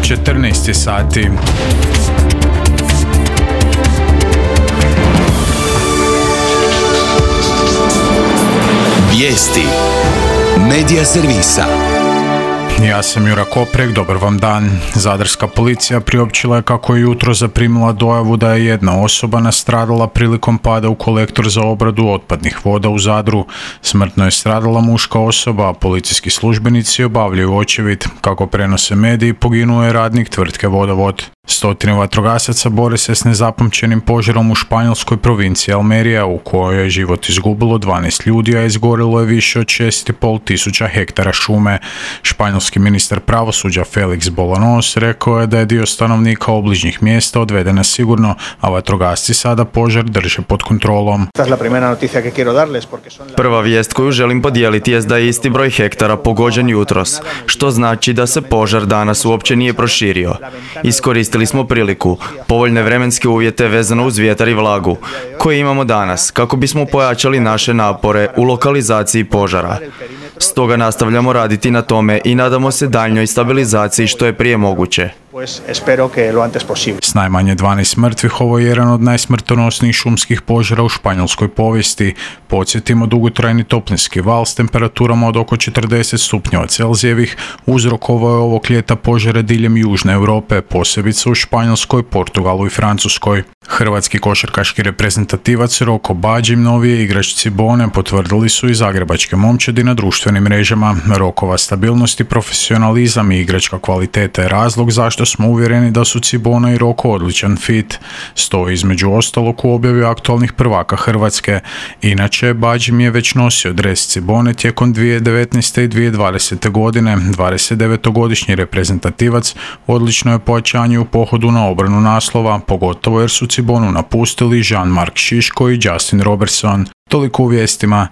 14 sati. Vijesti Medija servisa. Ja sam Jura Koprek, dobar vam dan. Zadarska policija priopćila je kako je jutro zaprimila dojavu da je jedna osoba nastradala prilikom pada u kolektor za obradu otpadnih voda u Zadru. Smrtno je stradala muška osoba, a policijski službenici obavljaju očevid. Kako prenose mediji, poginuo je radnik tvrtke Vodovod. Stotine vatrogasaca bore se s nezapamćenim požarom u španjolskoj provinciji Almerija, u kojoj je život izgubilo 12 ljudi, a izgorilo je više od 6,5 tisuća hektara šume. Španjolski ministar pravosuđa Felix Bolanos rekao je da je dio stanovnika obližnjih mjesta odveden na sigurno, a vatrogasci sada požar drže pod kontrolom. Prva vijest koju želim podijeliti jest da je isti broj hektara pogođen jutros, što znači da se požar danas uopće nije proširio. Iskoristili smo priliku, povoljne vremenske uvjete vezano uz vjetar i vlagu, koje imamo danas, kako bismo pojačali naše napore u lokalizaciji požara. Stoga nastavljamo raditi na tome i nadamo se daljnjoj stabilizaciji što je prije moguće. S najmanje 12 mrtvih, ovo je jedan od najsmrtonosnijih šumskih požara u španjolskoj povijesti. Podsjetimo, dugotrajni toplinski val s temperaturama od oko 40 stupnjeva Celzijevih uzrokovao je ovog ljeta požare diljem Južne Europe, posebice u Španjolskoj, Portugalu i Francuskoj. Hrvatski košarkaški reprezentativac Roko Bađim, novije igrač Cibone, potvrdili su i zagrebačke momčadi na društvenim mrežama. Rokova stabilnost i profesionalizam i igračka kvaliteta je razlog zašto smo uvjereni da su Cibona i Roko odličan fit. Stoji između ostalog u objavi aktualnih prvaka Hrvatske. Inače, Bađim je već nosio dres Cibone tijekom 2019. i 2020. godine. 29-godišnji reprezentativac odlično je pojačanje u pohodu na obranu naslova, pogotovo jer su Cibonu napustili Jean-Marc Šiško i Justin Robertson. Toliko u vijestima.